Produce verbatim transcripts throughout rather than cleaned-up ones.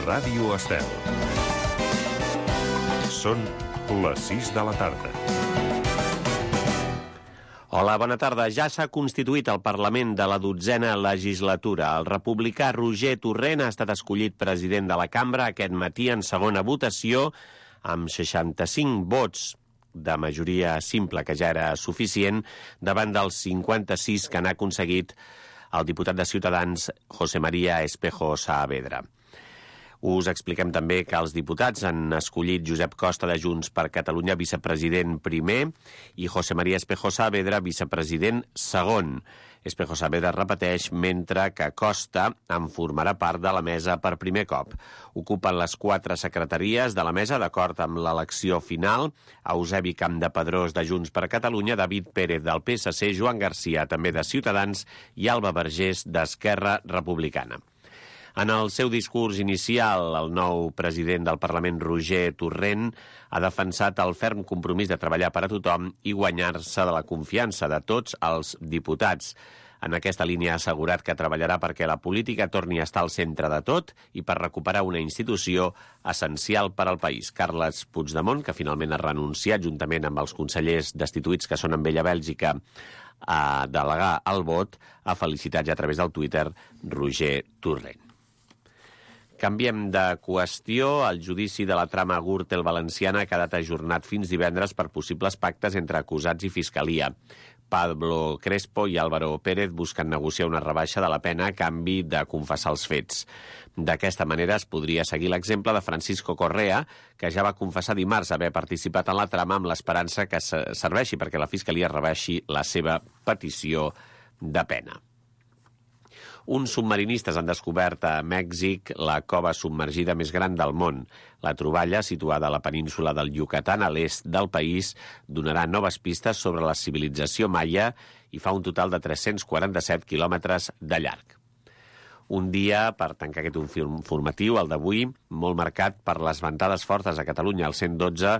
Ràdio Estel. Són les sis de la tarda. Hola, bona tarda. Ja s'ha constituït el Parlament de la dotzena legislatura. El republicà Roger Torrent ha estat escollit president de la cambra aquest matí en segona votació amb seixanta-cinc vots de majoria simple, que ja era suficient, davant dels cinquanta-sis que n'ha aconseguit el diputat de Ciutadans, José María Espejo Saavedra. Us expliquem també que els diputats han escollit Josep Costa de Junts per Catalunya vicepresident primer i José María Espejo Saavedra vicepresident segon. Espejo Saavedra repeteix, mentre que Costa en formarà part de la mesa per primer cop. Ocupen les quatre secretaries de la mesa d'acord amb l'elecció final: Eusebi Campdepadrós de Junts per Catalunya, David Pérez del P S C, Joan Garcia també de Ciutadans i Alba Vergés d'Esquerra Republicana. En el seu discurs inicial, el nou president del Parlament, Roger Torrent, ha defensat el ferm compromís de treballar per a tothom i guanyar-se de la confiança de tots els diputats. En aquesta línia ha assegurat que treballarà perquè la política torni a estar al centre de tot i per recuperar una institució essencial per al país. Carles Puigdemont, que finalment ha renunciat juntament amb els consellers destituïts que són amb ell a Bèlgica a delegar el vot, ha felicitat ja a través del Twitter Roger Torrent. Canviem de qüestió. El judici de la trama Gürtel valenciana ha quedat ajornat fins divendres per possibles pactes entre acusats i fiscalia. Pablo Crespo i Álvaro Pérez busquen negociar una rebaixa de la pena a canvi de confessar els fets. D'aquesta manera es podria seguir l'exemple de Francisco Correa, que ja va confessar dimarts haver participat en la trama amb l'esperança que serveixi perquè la fiscalia rebaixi la seva petició de pena. Uns submarinistes han descobert a Mèxic la cova submergida més gran del món. La troballa, situada a la península del Yucatán, a l'est del país, donarà noves pistes sobre la civilització maia i fa un total de tres-cents quaranta-set quilòmetres de llarg. Un dia, per tancar aquest informatiu, el d'avui, molt marcat per les ventades fortes a Catalunya. El cent dotze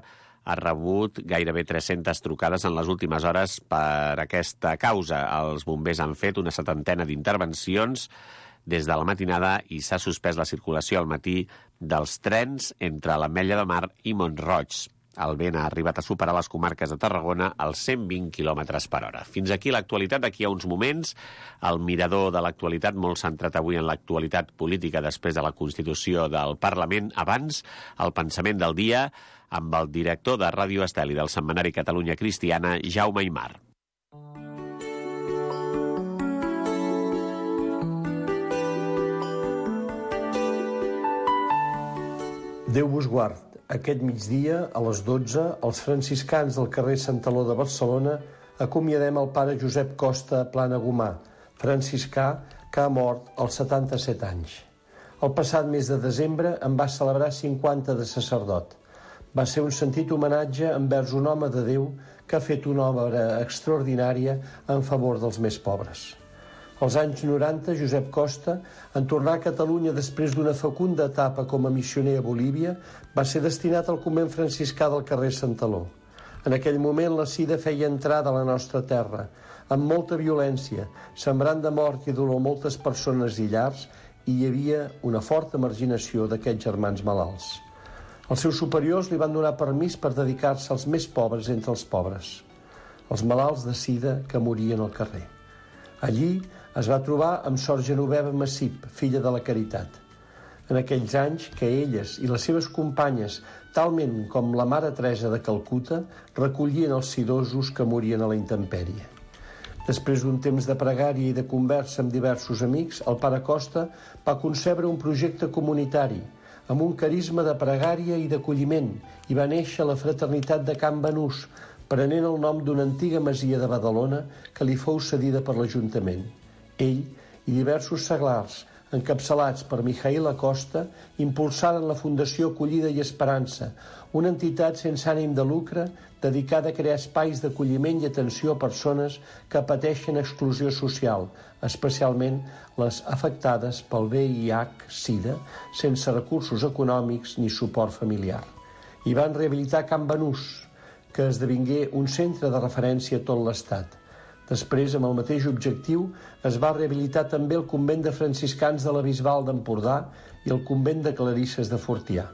ha rebut gairebé tres-centes trucades en les últimes hores per aquesta causa. Els bombers han fet una setantena d'intervencions des de la matinada i s'ha suspès la circulació al matí dels trens entre l'Ametlla de Mar i Mont-roig. El vent ha arribat a superar les comarques de Tarragona als cent vint quilòmetres per hora. Fins aquí l'actualitat. D'aquí a uns moments, el mirador de l'actualitat, molt centrat avui en l'actualitat política després de la Constitució del Parlament. Abans, el pensament del dia amb el director de Ràdio Estel i del setmanari Catalunya Cristiana, Jaume Aymar. Déu vos guard. Aquest migdia, a les dotze, els franciscans del carrer Santaló de Barcelona acomiadem el pare Josep Costa Planagumà, franciscà que ha mort als setanta-set anys. El passat mes de desembre en va celebrar cinquanta de sacerdot. Va ser un sentit homenatge envers un home de Déu que ha fet una obra extraordinària en favor dels més pobres. Als anys noranta, Josep Costa, en tornar a Catalunya després d'una fecunda etapa com a missioner a Bolívia, va ser destinat al convent franciscà del carrer Santaló. En aquell moment la sida feia entrada a la nostra terra, amb molta violència, sembrant de mort i dolor moltes persones i llars, i hi havia una forta marginació d'aquests germans malalts. Els seus superiors li van donar permís per dedicar-se als més pobres entre els pobres, els malalts de sida que morien al carrer. Allí es va trobar amb Sor Genoveva Massip, filla de la Caritat. En aquells anys que elles i les seves companyes, talment com la Mare Teresa de Calcuta, recollien els sidosos que morien a la intempèrie. Després d'un temps de pregària i de conversa amb diversos amics, el pare Costa va concebre un projecte comunitari amb un carisma de pregària i d'acolliment i va néixer la fraternitat de Can Banús, prenent el nom d'una antiga masia de Badalona que li fou cedida per l'Ajuntament. Ell i diversos seglars, encapçalats per Mijaíl Acosta, impulsaren la Fundació Acollida i Esperança, una entitat sense ànim de lucre dedicada a crear espais d'acolliment i atenció a persones que pateixen exclusió social, especialment les afectades pel V I H SIDA, sense recursos econòmics ni suport familiar. I van rehabilitar Can Banús, que esdevingué un centre de referència a tot l'Estat. Després, amb el mateix objectiu, es va rehabilitar també el convent de franciscans de la Bisbal d'Empordà i el convent de clarisses de Fortià.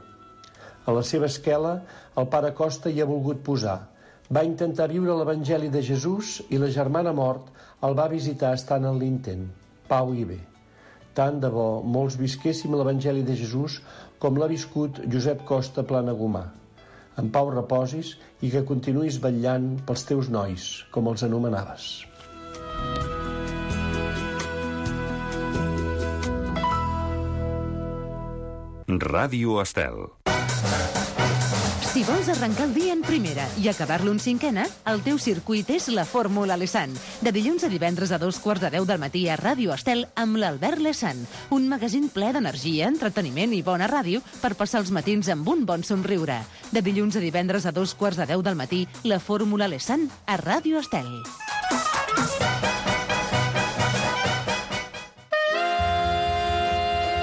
A la seva esquela, el pare Costa hi ha volgut posar: va intentar viure l'Evangeli de Jesús i la germana mort el va visitar estant en l'intent. Pau i bé. Tant de bo molts visquéssim l'Evangeli de Jesús com l'ha viscut Josep Costa Planagumà. En pau reposis i que continuïs vetllant pels teus nois, com els anomenaves. Ràdio Estel. Si vols arrencar el dia en primera i acabar-lo en cinquena, el teu circuit és la Fórmula Lesan. De dilluns a divendres a dos quarts de deu del matí a Ràdio Estel amb l'Albert Lesan. Un magazín ple d'energia, entreteniment i bona ràdio per passar els matins amb un bon somriure. De dilluns a divendres a dos quarts de deu del matí, la Fórmula Lesan a Ràdio Estel.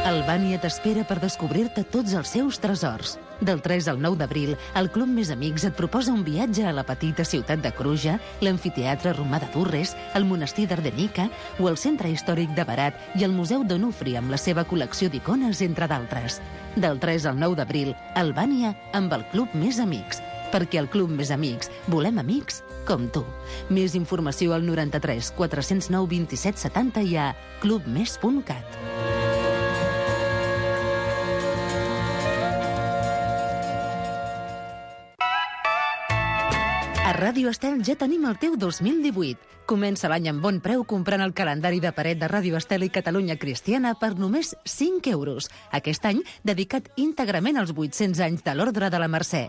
Albània t'espera per descobrir-te tots els seus tresors. Del tres al nou d'abril, el Club Més Amics et proposa un viatge a la petita ciutat de Cruja, l'amfiteatre romà de Durres, el monestir d'Ardenica o el centre històric de Berat i el Museu d'Onufri amb la seva col·lecció d'icones, entre d'altres. Del tres al nou d'abril, Albània amb el Club Més Amics. Perquè al Club Més Amics volem amics com tu. Més informació al noranta-tres quatre-cents nou vint-i-set setanta i a clubmes punt cat. A Ràdio Estel ja tenim el teu dos mil divuit. Comença l'any amb bon preu comprant el calendari de paret de Ràdio Estel i Catalunya Cristiana per només cinc euros. Aquest any dedicat íntegrament als vuit-cents anys de l'Ordre de la Mercè.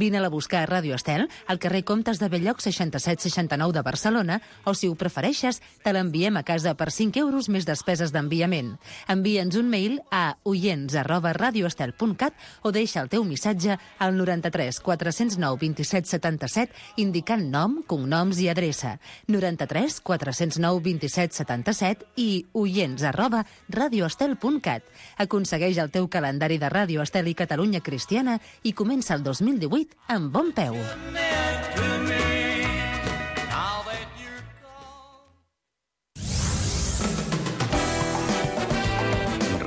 Vine-la a buscar a Ràdio Estel, al carrer Comtes de Belloc seixanta-set seixanta-nou de Barcelona, o si ho prefereixes, te l'enviem a casa per cinc euros més despeses d'enviament. Envia'ns un mail a oients arroba radioestel punt cat o deixa el teu missatge al noranta-tres quatre-cents nou vint-i-set setanta-set indicant nom, cognoms i adreça. noranta-tres quatre-cents nou vint-i-set setanta-set i oients arroba radioestel punt cat. Aconsegueix el teu calendari de Ràdio Estel i Catalunya Cristiana i comença el dos mil divuit amb bon peu.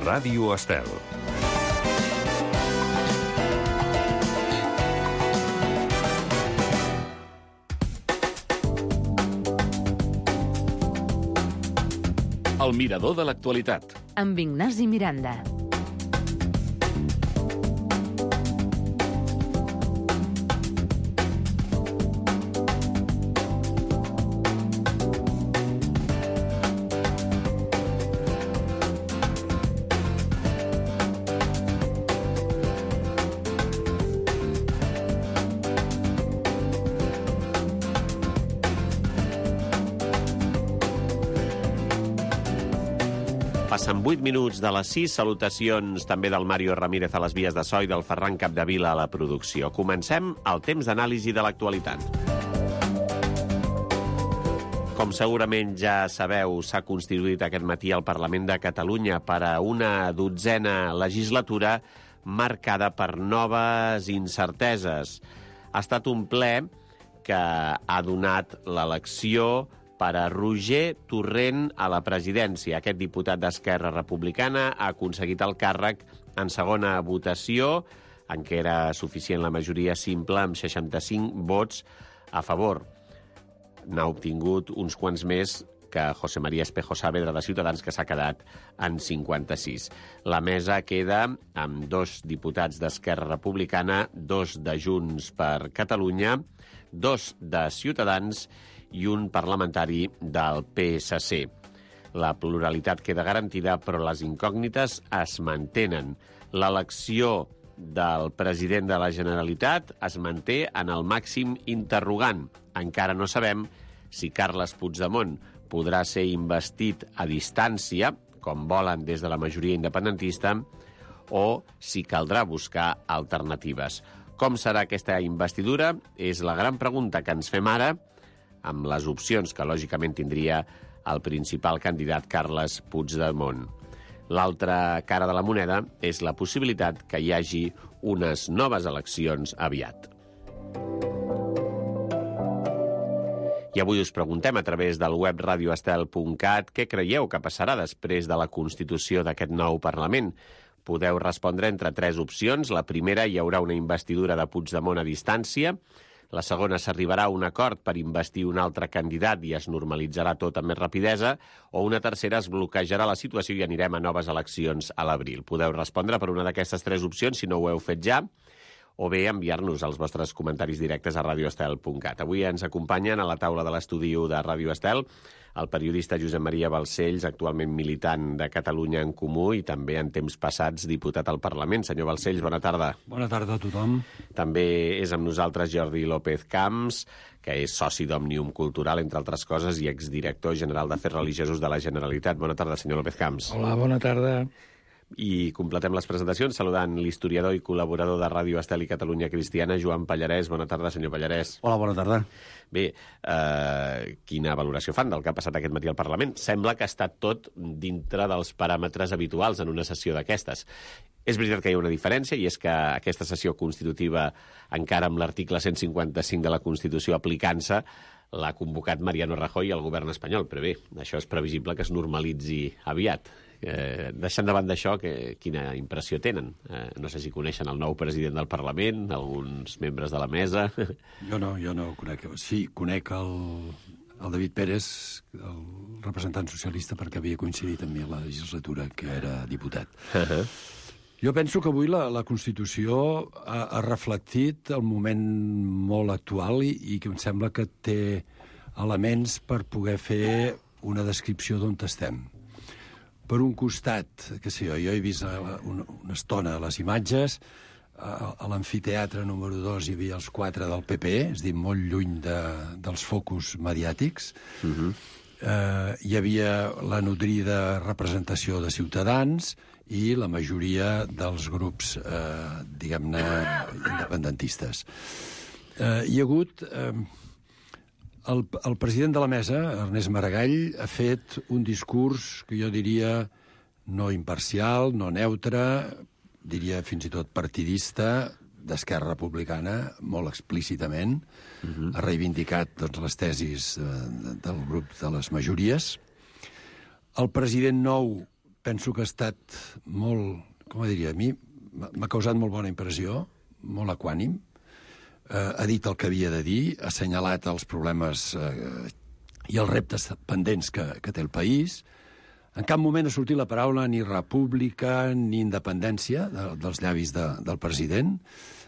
Ràdio Estel. El mirador de l'actualitat. Amb Ignasi Miranda. Passen vuit minuts de les sis. Salutacions també del Mario Ramírez a les vies de so i del Ferran Capdevila a la producció. Comencem el temps d'anàlisi de l'actualitat. Com segurament ja sabeu, s'ha constituït aquest matí al Parlament de Catalunya per a una dotzena legislatura marcada per noves incerteses. Ha estat un ple que ha donat l'elecció per a Roger Torrent a la presidència. Aquest diputat d'Esquerra Republicana ha aconseguit el càrrec en segona votació, en què era suficient la majoria simple, amb seixanta-cinc vots a favor. N'ha obtingut uns quants més que José María Espejo Saavedra de Ciutadans, que s'ha quedat en cinquanta-sis. La mesa queda amb dos diputats d'Esquerra Republicana, dos de Junts per Catalunya, dos de Ciutadans i un parlamentari del P S C. La pluralitat queda garantida, però les incògnites es mantenen. L'elecció del president de la Generalitat es manté en el màxim interrogant. Encara no sabem si Carles Puigdemont podrà ser investit a distància, com volen des de la majoria independentista, o si caldrà buscar alternatives. Com serà aquesta investidura? És la gran pregunta que ens fem ara, amb les opcions que lògicament tindria el principal candidat Carles Puigdemont. L'altra cara de la moneda és la possibilitat que hi hagi unes noves eleccions aviat. I avui us preguntem a través del web radio estel punt cat què creieu que passarà després de la constitució d'aquest nou Parlament. Podeu respondre entre tres opcions. La primera, hi haurà una investidura de Puigdemont a distància. La segona, s'arribarà a un acord per investir un altre candidat i es normalitzarà tot amb més rapidesa. O una tercera, es bloquejarà la situació i anirem a noves eleccions a l'abril. Podeu respondre per una d'aquestes tres opcions, si no ho heu fet ja, o bé enviar-nos els vostres comentaris directes a radio estel punt cat. Avui ens acompanyen a la taula de l'estudi de Ràdio Estel el periodista Josep Maria Balcells, actualment militant de Catalunya en Comú i també en temps passats diputat al Parlament. Senyor Balcells, bona tarda. Bona tarda a tothom. També és amb nosaltres Jordi López Camps, que és soci d'Òmnium Cultural, entre altres coses, i exdirector general d'Afers Religiosos de la Generalitat. Bona tarda, senyor López Camps. Hola, bona tarda. I completem les presentacions saludant l'historiador i col·laborador de Ràdio Estel i Catalunya Cristiana, Joan Pallarès. Bona tarda, senyor Pallarès. Hola, bona tarda. Bé, eh, quina valoració fan del que ha passat aquest matí al Parlament? Sembla que ha estat tot dintre dels paràmetres habituals en una sessió d'aquestes. És veritat que hi ha una diferència, i és que aquesta sessió constitutiva, encara amb l'article cent cinquanta-cinc de la Constitució aplicant-se, l'ha convocat Mariano Rajoy al govern espanyol. Però bé, això és previsible que es normalitzi aviat. Eh, deixant de banda d'això, que, quina impressió tenen? Eh, no sé si coneixen el nou president del Parlament, alguns membres de la mesa. Jo no, jo no conec. Sí, conec el, el David Pérez, el representant socialista, perquè havia coincidit amb mi a la legislatura, que era diputat. Uh-huh. Jo penso que avui la, la Constitució ha, ha reflectit el moment molt actual i, i que em sembla que té elements per poder fer una descripció d'on estem. Per un costat, que sé jo, jo he vist una, una estona les imatges, a, a l'amfiteatre número dos hi havia els quatre del P P, és a dir, molt lluny de, dels focus mediàtics. Uh-huh. eh, hi havia la nodrida representació de Ciutadans i la majoria dels grups, eh, diguem-ne, independentistes. Eh, hi ha hagut... Eh, El, el president de la mesa, Ernest Maragall, ha fet un discurs que jo diria no imparcial, no neutre, diria fins i tot partidista, d'Esquerra Republicana, molt explícitament. Uh-huh. Ha reivindicat doncs, les tesis de, del grup de les majories. El president nou penso que ha estat molt, com diria, a mi m'ha causat molt bona impressió, molt equànim. Uh, ha dit el que havia de dir, ha assenyalat els problemes uh, i els reptes pendents que, que té el país. En cap moment ha sortit la paraula ni república ni independència de, dels llavis de, del president.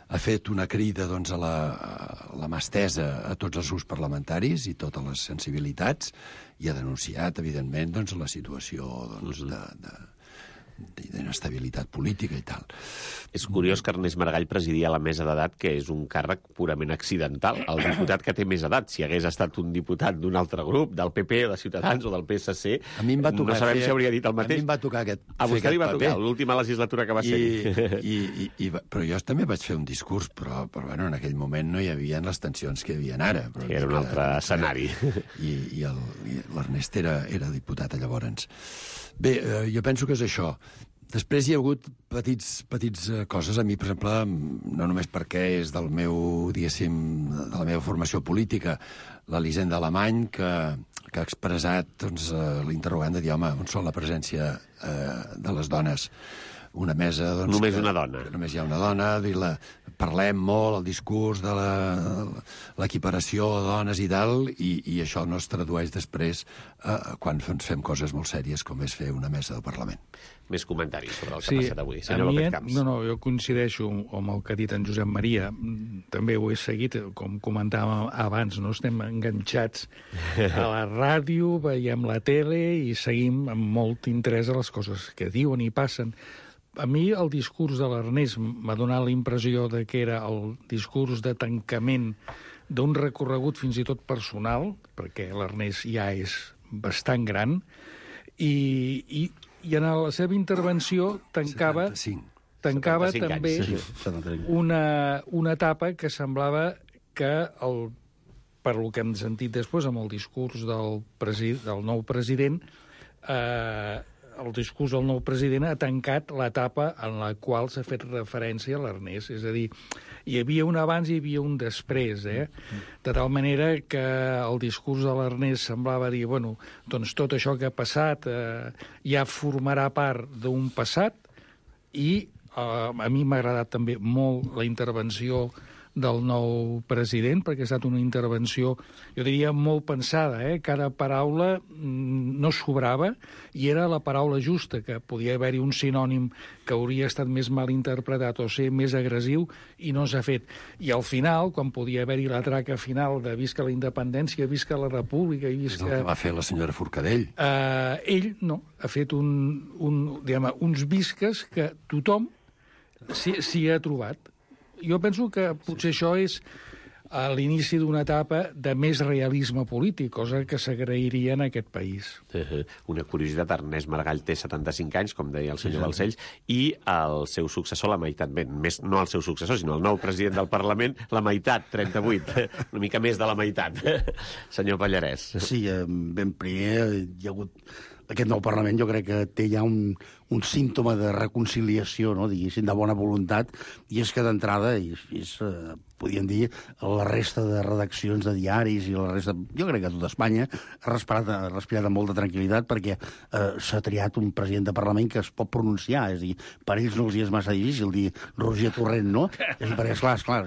Ha fet una crida doncs, a, la, a la mà estesa a tots els grups parlamentaris i totes les sensibilitats i ha denunciat, evidentment, doncs, la situació doncs, de... de d'inestabilitat política i tal. És curiós que Ernest Maragall presidia la mesa d'edat, que és un càrrec purament accidental. El diputat que té més edat, si hagués estat un diputat d'un altre grup, del P P, de Ciutadans o del P S C, a mi em va tocar no sabem fer, si hauria dit el mateix. A mi em va tocar aquest, a vostè li va paper. tocar, l'última legislatura que va ser. I, i, i, i, però jo també vaig fer un discurs, però, però bueno, en aquell moment no hi havia les tensions que hi havia ara. Però era un altre era, escenari. I, i l'Ernest era, era diputat llavors. Bé, eh, jo penso que és això. Després hi ha hagut petits, petits coses. A mi, per exemple, no només perquè és del meu, diguéssim, de la meva formació política, l'Elisenda Alemany, que, que ha expressat doncs, l'interrogant de dir, home, on són la presència eh, de les dones? Una mesa... Doncs, només que, una dona. Només hi ha una dona. Dir la, parlem molt, el discurs de l'equiparació de dones i tal, i, i això no es tradueix després eh, quan ens fem coses molt sèries com és fer una mesa del Parlament. Més comentaris sobre el que sí, ha passat avui. Senyor López Camps. No, no, jo coincideixo amb el que ha dit en Josep Maria. També ho he seguit, com comentàvem abans, no estem enganxats a la ràdio, veiem la tele i seguim amb molt interès a les coses que diuen i passen. A mi el discurs de l'Ernest m'ha donat la impressió de que era el discurs de tancament d'un recorregut fins i tot personal, perquè l'Ernest ja és bastant gran, i, i, i en la seva intervenció tancava, tancava també anys. una, una etapa que semblava que, el, per lo que hem sentit després amb el discurs del, presi, del nou president, eh, el discurs del nou president ha tancat l'etapa en la qual s'ha fet referència a l'Ernest. És a dir, hi havia un abans i hi havia un després, eh? De tal manera que el discurs de l'Ernest semblava dir, bueno, doncs tot això que ha passat eh, ja formarà part d'un passat, i eh, a mi m'ha agradat també molt la intervenció del nou president, perquè ha estat una intervenció, jo diria, molt pensada, eh? Cada paraula no sobrava i era la paraula justa, que podia haver-hi un sinònim que hauria estat més mal interpretat o ser més agressiu i no s'ha fet. I al final, quan podia haver-hi la traca final de visca la independència, visca la república i visca... És el que va fer la senyora Forcadell. Eh, ell, no, ha fet un, un, diguem, uns visques que tothom s'hi ha trobat. Jo penso que potser això és a l'inici d'una etapa de més realisme polític, cosa que s'agrairia en aquest país. Una curiositat, Ernest Maragall té setanta-cinc anys, com deia el senyor Balcells, i el seu successor, la meitat, bé, més, no el seu successor, sinó el nou president del Parlament, la meitat, trenta-vuit, una mica més de la meitat. Senyor Pallarès. Sí, ben primer hi ha hagut... Aquest nou Parlament jo crec que té ja un, un símptoma de reconciliació, no, diguéssim, de bona voluntat, i és que d'entrada, és, és, eh, podríem dir, la resta de redaccions de diaris i la resta, jo crec que tot Espanya ha respirat, ha respirat amb molta tranquil·litat perquè eh, s'ha triat un president de Parlament que es pot pronunciar, és a dir, per ells no els hi és massa difícil dir Roger Torrent, no? És dir, perquè, esclar, esclar,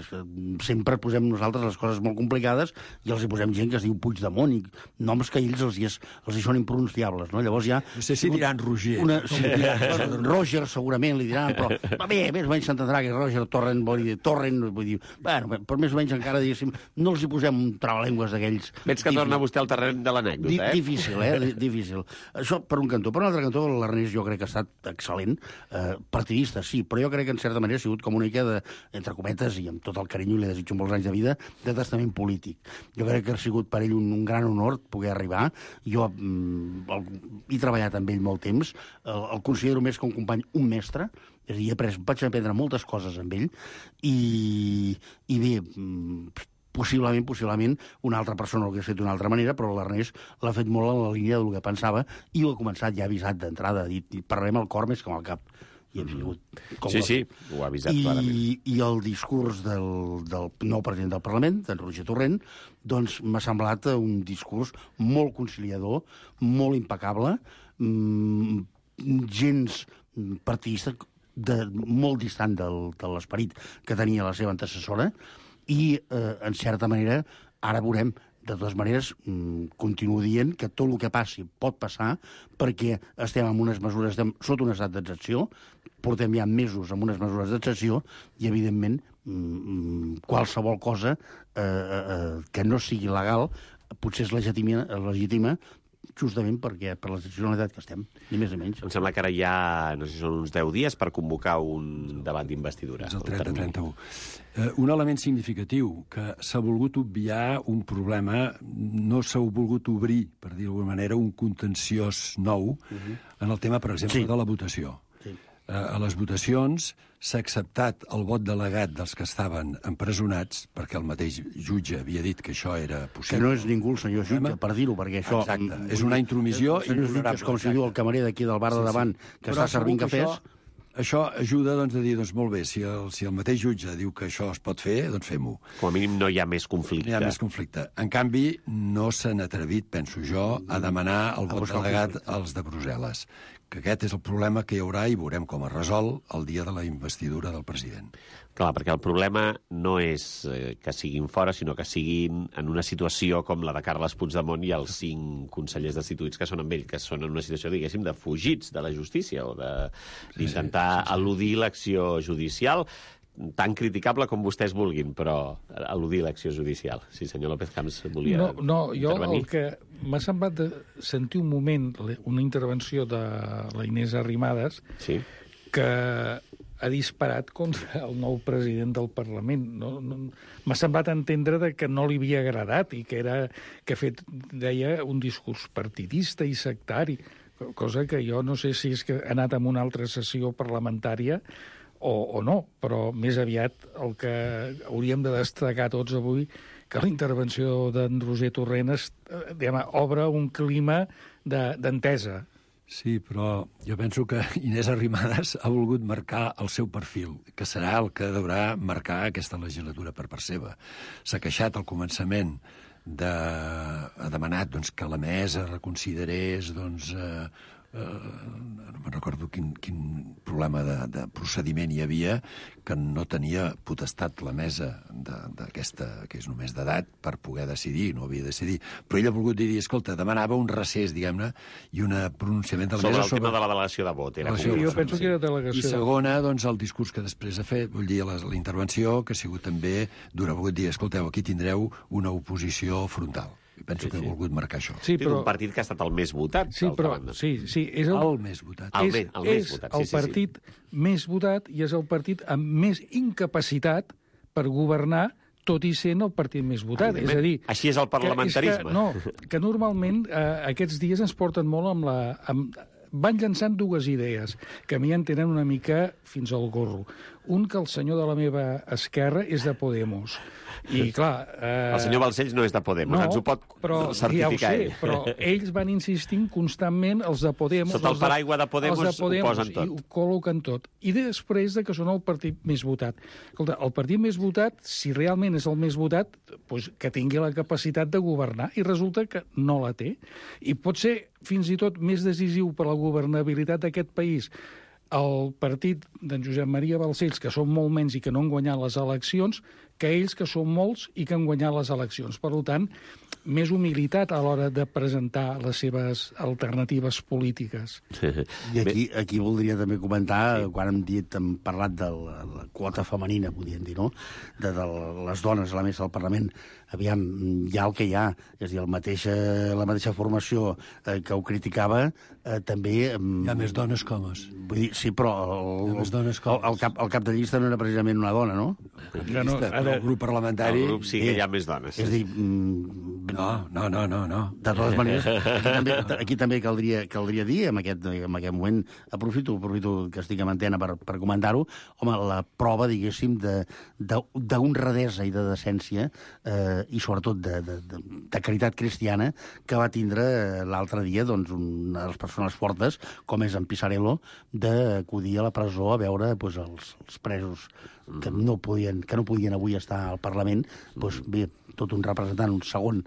sempre posem nosaltres les coses molt complicades i els hi posem gent que es diu Puigdemont i noms que a ells els hi, és, els hi són impronunciables, no? Llavors ja... No sé si diran Roger. Una, sí, diran, Roger segurament li diran, però va bé, més o menys s'entendrà que Roger Torrent vol dir Torrent, vull dir, bueno, però més o menys encara, diguéssim, no els hi posem un trabalengües d'aquells... Veig que torna vostè al terreny de l'anècdota, eh? Difícil, eh? Difícil. Això per un cantó. Per un altre cantó, l'Ernest jo crec que ha estat excel·lent, eh, partidista, sí, però jo crec que en certa manera ha sigut com una mica de, entre cometes, i amb tot el carinyo li desitjo molts anys de vida, de testament polític. Jo crec que ha sigut per ell un, un gran honor poder arribar. Jo mm, el, he treballat amb ell molt temps, el, el considero més que un company, un mestre, és a dir, he après, vaig aprendre moltes coses amb ell, i, i bé, possiblement, possiblement, una altra persona ho hagués fet d'una altra manera, però l'Ernest l'ha fet molt en la línia del que pensava, i ho ha començat ja avisat d'entrada, ha dit, parlarem al cor més que amb el cap. I hem sigut... Sí, sí, ho ha avisat I, clarament. I el discurs del, del nou president del Parlament, d'en Roger Torrent, doncs m'ha semblat un discurs molt conciliador, molt impecable, mmm, gens partidista, de, molt distant del, de l'esperit que tenia la seva antecessora, i, eh, en certa manera, ara veurem, de totes maneres, mmm, continuo dient que tot el que passi pot passar, perquè estem en unes mesures, estem sota un estat d'excepció, portem ja mesos amb unes mesures d'excepció, i, evidentment, mmm, qualsevol cosa eh, eh, que no sigui legal potser és legitima, legitima justament perquè per la excepcionalitat que estem, ni més ni menys. Em sembla que ara hi ha, no sé si són uns deu dies per convocar un debat d'investidura. És el trenta trenta-u. Eh, un element significatiu, que s'ha volgut obviar un problema, no s'ha volgut obrir, per dir d'alguna manera, un contenciós nou uh-huh. en el tema, per exemple, sí. de la votació. Sí. Eh, a les votacions s'ha acceptat el vot delegat dels que estaven empresonats, perquè el mateix jutge havia dit que això era possible. Que no és ningú el senyor jutge, per dir-ho, perquè això... Exacte, és una intromissió intolerable. És com si diu el camarer d'aquí del bar de davant, sí, sí. que Però està servint cafès... Això, això ajuda doncs, a dir, doncs molt bé, si el, si el mateix jutge diu que això es pot fer, doncs fem-ho. Com a mínim no hi ha més conflicte. No hi ha més conflicte. En canvi, no s'han atrevit, penso jo, a demanar el vot delegat als de Brussel·les. Que aquest és el problema que hi haurà i veurem com es resol el dia de la investidura del president. Clar, perquè el problema no és eh, que siguin fora, sinó que siguin en una situació com la de Carles Puigdemont i els cinc consellers destituïts que són amb ell, que són en una situació, diguéssim, de fugits de la justícia o d'intentar sí, sí, sí, sí. eludir l'acció judicial, tan criticable com vostès vulguin, però eludir l'acció judicial. Sí, senyor López Camps volia no, no, jo intervenir. El que m'ha semblat de sentir un moment, una intervenció de la Inés Arrimadas, sí. que ha disparat contra el nou president del Parlament. No, no, m'ha semblat entendre de que no li havia agradat i que era que ha fet, deia, un discurs partidista i sectari, cosa que jo no sé si és que ha anat en una altra sessió parlamentària o, o no, però més aviat el que hauríem de destacar tots avui, que la intervenció d'en Roger Torrent es, diguem, obre un clima d'entesa. Sí, però jo penso que Inés Arrimadas ha volgut marcar el seu perfil, que serà el que deurà marcar aquesta legislatura per part seva. S'ha queixat al començament de... ha demanat doncs, que la mesa reconsiderés doncs, eh, eh, no me'n recordo quin, quin problema de, de procediment hi havia, que no tenia potestat la mesa d'aquesta, que és només d'edat, per poder decidir, no havia de decidir. Però ell ha volgut dir, escolta, demanava un recés, diguem-ne, i un pronunciament de la sobre mesa... el sobre el tema de la delegació de vot. Era Delegació, jo penso que era delegació. I segona, doncs, el discurs que després ha fet, vull dir, la, la intervenció, que ha sigut també d'una volgut dir, escolteu, aquí tindreu una oposició frontal. I penso sí, que sí. ha volgut marcar això. Sí, però... un partit que ha estat el més votat. Sí, però... Sí, sí, és el... el més votat. El, és, el, el més és votat, el sí, sí, partit sí. més votat i és el partit amb més incapacitat per governar, tot i sent el partit més votat. És a dir... Així és el parlamentarisme. Que, és que, no, que normalment eh, aquests dies ens porten molt amb la... Amb, van llançant dues idees que a mi en tenen una mica fins al gorro. Un, que el senyor de la meva esquerra és de Podemos. I, clar... Eh... El senyor Balcells no és de Podemos, no, ens ho pot però, certificar ja ho sé, ell. Però ells van insistint constantment, els de Podemos... Sota el paraigua de Podemos, de Podemos ho posen tot. I ho col·loquen tot. I després de que són el partit més votat. Escolta, el partit més votat, si realment és el més votat, doncs que tingui la capacitat de governar, i resulta que no la té. I pot ser fins i tot més decisiu per a la governabilitat d'aquest país el partit d'en Josep Maria Balcells, que són molt menys i que no han guanyat les eleccions, que ells, que són molts i que han guanyat les eleccions. Per tant, més humilitat a l'hora de presentar les seves alternatives polítiques. I aquí, aquí voldria també comentar, sí. quan hem dit, hem parlat de la, la quota femenina, podríem dir, no?, de, de les dones a la mesa del Parlament. Aviam, hi ha el que hi ha, és a dir, el mateixa, la mateixa formació eh, que ho criticava, eh, també... Eh, hi ha més dones que homes. Vull dir, sí, però el, el, el, el, cap, el cap de llista no era precisament una dona, no? No, no, el grup parlamentari... El grup sí que hi ha més dones. És a dir... Mm, no, no, no, no, no. De totes maneres, aquí també, aquí també caldria, caldria dir, en aquest, en aquest moment, aprofito, aprofito que estic en antena per, per comentar-ho, home, la prova, diguéssim, d'honradesa i de decència, eh, i sobretot de, de, de, de caritat cristiana, que va tindre l'altre dia doncs, una de les persones fortes, com és en Pisarello, d'acudir a la presó a veure doncs, els, els presos que no podien, que no podien avui estar al Parlament, doncs, bé, tot un representant, un segon,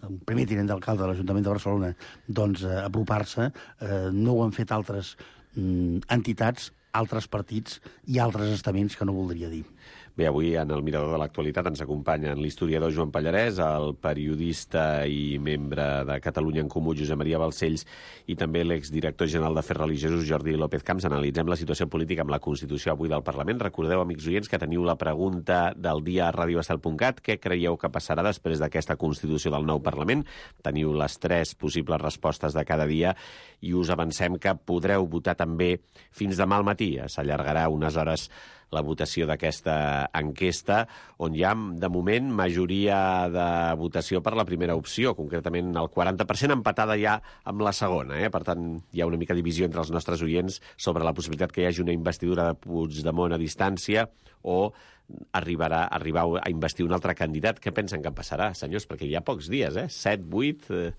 un primer tinent d'alcalde de l'Ajuntament de Barcelona, doncs eh, apropar-se. Eh, no ho han fet altres mm, entitats, altres partits i altres estaments que no voldria dir. Bé, avui en el Mirador de l'Actualitat ens acompanyen l'historiador Joan Pallarès, el periodista i membre de Catalunya en Comú, Josep Maria Balcells, i també l'exdirector general d'Afers Religiosos, Jordi López Camps. Analitzem la situació política amb la Constitució avui del Parlament. Recordeu, amics oients, que teniu la pregunta del dia a radio estel punt cat. Què creieu que passarà després d'aquesta Constitució del nou Parlament? Teniu les tres possibles respostes de cada dia i us avancem que podreu votar també fins demà al matí. S'allargarà unes hores la votació d'aquesta enquesta, on hi ha, de moment, majoria de votació per la primera opció, concretament el quaranta per cent, empatada ja amb la segona. Eh? Per tant, hi ha una mica divisió entre els nostres oients sobre la possibilitat que hi hagi una investidura de Puigdemont a distància o arribarà arribar a investir un altre candidat. Què pensen que passarà, senyors? Perquè hi ha pocs dies, eh? set, vuit, eh,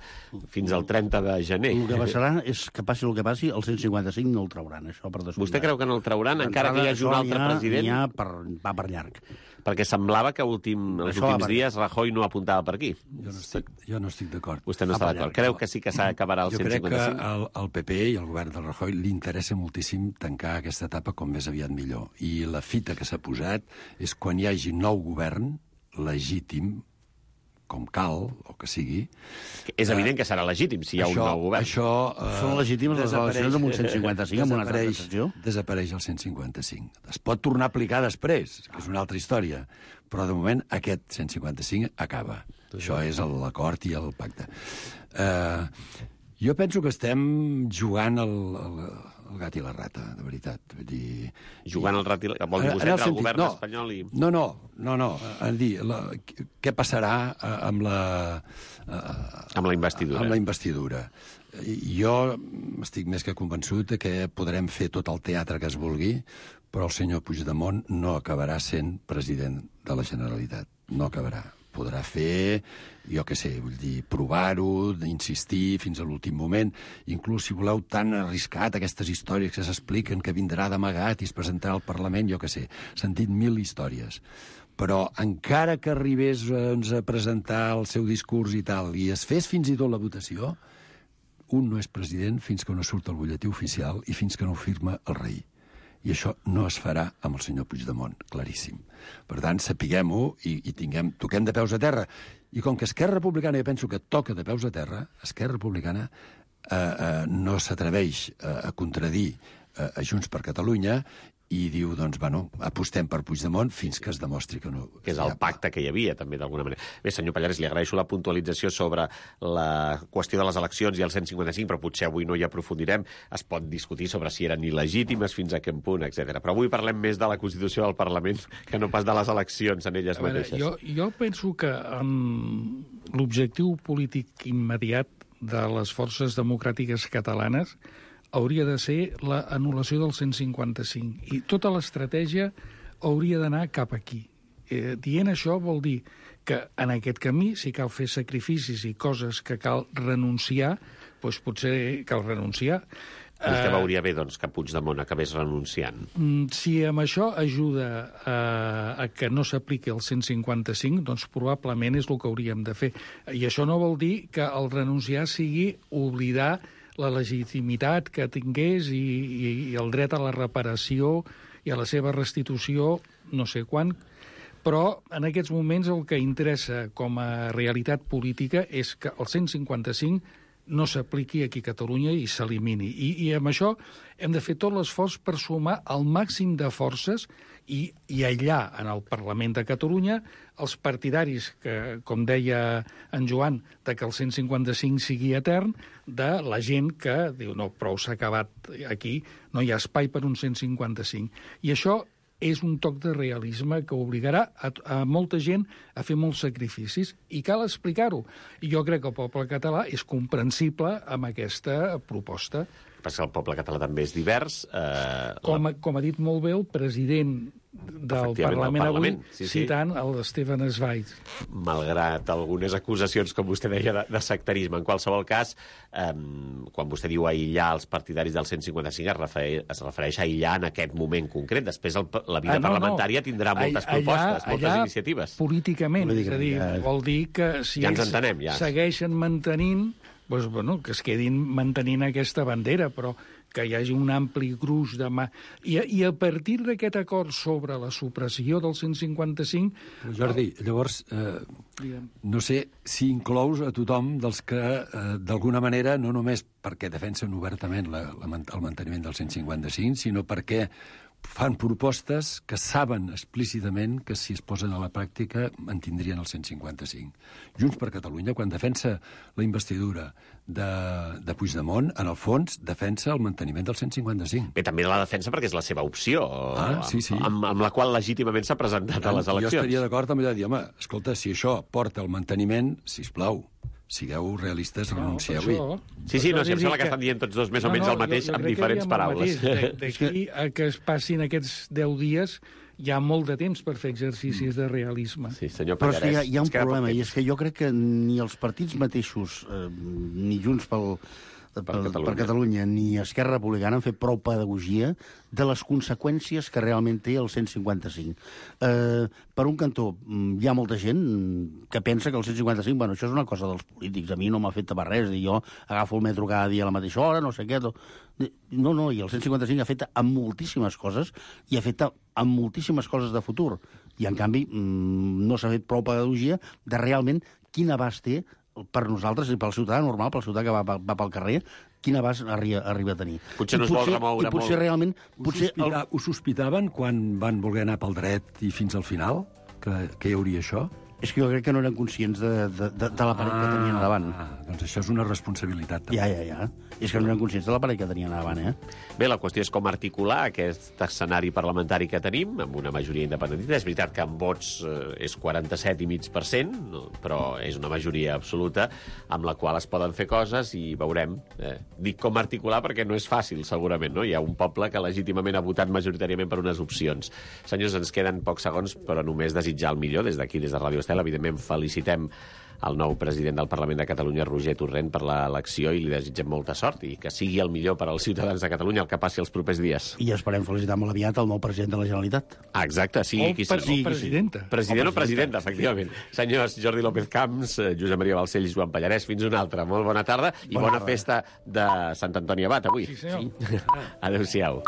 fins al trenta de gener. El que passarà és que passi el que passi, el cent cinquanta-cinc no el trauran, això per descomptat. Vostè creu que no el trauran, encara que hi hagi un altre ha, president? N'hi ha per, va per llarg. Perquè semblava que últim, els Això últims dies Rajoy no apuntava per aquí. Jo no estic, jo no estic d'acord. Vostè no està d'acord. Creu que sí que s'acabarà el jo cent cinquanta-cinc? Jo crec que al, al P P i al govern del Rajoy li interessa moltíssim tancar aquesta etapa com més aviat millor. I la fita que s'ha posat és quan hi hagi nou govern legítim, com cal, o que sigui... És evident que serà legítim si hi ha això, un nou govern. Això, uh, Són legítimes les eleccions amb un cent cinquanta-cinc, amb una altra decisió? Desapareix el cent cinquanta-cinc. Es pot tornar a aplicar després, que és una altra història, però de moment aquest cent cinquanta-cinc acaba. Això és l'acord i el pacte. Uh, jo penso que estem jugant el, el, el gat i la rata, de veritat. Vull dir... Jugant el rat i la... Vol dir vostè entre el govern no, espanyol i... No, no, no, no. En dir, la, què passarà amb la... Amb la investidura. Amb la investidura. Jo estic més que convençut que podrem fer tot el teatre que es vulgui, però el senyor Puigdemont no acabarà sent president de la Generalitat. No acabarà. podrà fer, jo què sé, vull dir, provar-ho, insistir fins a l'últim moment, inclús si voleu tan arriscat aquestes històries que s'expliquen que vindrà d'amagat i es presentarà al Parlament, jo què sé, sentit mil històries. Però encara que arribés doncs, a presentar el seu discurs i tal, i es fes fins i tot la votació, un no és president fins que no surt el butlletí oficial i fins que no ho firma el rei. I això no es farà amb el senyor Puigdemont, claríssim. Per tant, sapiguem-ho i, i tinguem, toquem de peus a terra. I com que Esquerra Republicana, jo penso que toca de peus a terra, Esquerra Republicana eh, eh, no s'atreveix a, a contradir eh, a Junts per Catalunya i diu, doncs, bueno, apostem per Puigdemont fins que es demostri que no... Que és el pacte que hi havia, també, d'alguna manera. Bé, senyor Pallares, li agraeixo la puntualització sobre la qüestió de les eleccions i el cent cinquanta-cinc, però potser avui no hi aprofundirem. Es pot discutir sobre si eren il·legítimes, fins a quin punt, etcètera. Però avui parlem més de la Constitució del Parlament que no pas de les eleccions en elles veure, mateixes. Jo, jo penso que um, l'objectiu polític immediat de les forces democràtiques catalanes hauria de ser la anul·lació del cent cinquanta-cinc. I tota l'estratègia hauria d'anar cap aquí. Eh, dient això vol dir que en aquest camí, si cal fer sacrificis i coses que cal renunciar, doncs potser cal renunciar. Vostè uh, veuria bé, doncs, que Puigdemont acabés renunciant. Si amb això ajuda a, a que no s'apliqui el cent cinquanta-cinc, doncs probablement és el que hauríem de fer. I això no vol dir que el renunciar sigui oblidar la legitimitat que tingués i, i, i el dret a la reparació i a la seva restitució, no sé quan, però en aquests moments el que interessa com a realitat política és que el cent cinquanta-cinc no s'apliqui aquí a Catalunya i s'elimini. I, I amb això hem de fer tot l'esforç per sumar el màxim de forces i, i aïllar en el Parlament de Catalunya els partidaris, que, com deia en Joan, de que el cent cinquanta-cinc sigui etern, de la gent que diu no, prou s'ha acabat aquí, no hi ha espai per un cent cinquanta-cinc. I això és un toc de realisme que obligarà a, a molta gent a fer molts sacrificis i cal explicar-ho. I jo crec que el poble català és comprensible amb aquesta proposta. Perquè el poble català també és divers. Eh, com, a, com ha dit molt bé el president del Parlament, Parlament avui, sí, sí. citant el Stefan Zweig. Malgrat algunes acusacions, com vostè deia, de, de sectarisme. En qualsevol cas, eh, quan vostè diu aïllar els partidaris del cent cinquanta-cinc, es refereix, es refereix a aïllar en aquest moment concret. Després el, la vida ah, no, parlamentària no. tindrà moltes allà, propostes, moltes allà, iniciatives. Políticament, políticament, és a dir, ja. vol dir que si ja ens entenem, ja. segueixen mantenint, doncs, bueno, que es quedin mantenint aquesta bandera, però que hi hagi un ampli gruix de mà. I, i a partir d'aquest acord sobre la supressió del cent cinquanta-cinc... Però Jordi, llavors, eh, no sé si inclous a tothom dels que, eh, d'alguna manera, no només perquè defensen obertament la, la, el manteniment del cent cinquanta-cinc, sinó perquè fan propostes que saben explícitament que si es posen a la pràctica mantindrien el cent cinquanta-cinc. Junts per Catalunya, quan defensa la investidura de, de Puigdemont, en el fons defensa el manteniment del cent cinquanta-cinc. Bé, també la defensa perquè és la seva opció, ah, sí, sí. Amb, amb la qual legítimament s'ha presentat a les eleccions. Jo estaria d'acord amb allò de dir, home, escolta, si això porta al manteniment, sisplau, sigueu realistes, no, renuncieu-hi. Sí, sí, no, si em sembla que, que estan dient tots dos més o menys no, no, el mateix, jo, jo amb diferents paraules. D'aquí a que es passin aquests deu dies hi ha molt de temps per fer exercicis de realisme. Sí, senyor Pallarès. Però és que hi ha, hi ha un problema, i és que jo crec que ni els partits mateixos, eh, ni Junts pel... Per, per, Catalunya. per Catalunya ni Esquerra Republicana han fet prou pedagogia de les conseqüències que realment té el cent cinquanta-cinc. Eh, per un cantó, hi ha molta gent que pensa que el cent cinquanta-cinc, bueno, això és una cosa dels polítics, a mi no m'ha fet tapar res, i jo agafo el metro cada dia a la mateixa hora, no sé què... No, no, i el cent cinquanta-cinc ha fet amb moltíssimes coses i ha fet amb moltíssimes coses de futur. I, en canvi, no s'ha fet prou pedagogia de realment quin abast té per nosaltres i pel ciutadà normal, pel ciutadà que va, va, va pel carrer, quin abast arriba, arriba a tenir. Potser no es vol remoure molt. I potser realment... Potser ho, sospita, el... ho sospitaven quan van voler anar pel dret i fins al final? Que, que hi hauria això? És que jo crec que no eren conscients de, de, de, de l'aparell ah, que tenien a davant. Ah, doncs això és una responsabilitat. També. Ja, ja, ja. És que no eren conscients de l'aparell que tenien a davant, eh? Bé, la qüestió és com articular aquest escenari parlamentari que tenim, amb una majoria independentista. És veritat que en vots eh, és quaranta-set i mig per cent, no? Però és una majoria absoluta amb la qual es poden fer coses i veurem. Eh, dic com articular perquè no és fàcil, segurament, no? Hi ha un poble que legítimament ha votat majoritàriament per unes opcions. Senyors, ens queden pocs segons, però només desitjar el millor des d'aquí, des de Ràdio Estel. Estel. Evidentment, felicitem el nou president del Parlament de Catalunya, Roger Torrent, per l'elecció i li desitgem molta sort i que sigui el millor per als ciutadans de Catalunya el que passi els propers dies. I esperem felicitar molt aviat el nou president de la Generalitat. Ah, exacte, sigui O qui per- sigui. o presidenta. President o presidenta, efectivament. Senyors Jordi López Camps, eh, Josep Maria Balcells i Joan Pallarès, fins una altra. Molt bona tarda i Bona bona tarda. festa de Sant Antoni Abat avui. Sí, senyor. Adéu-siau.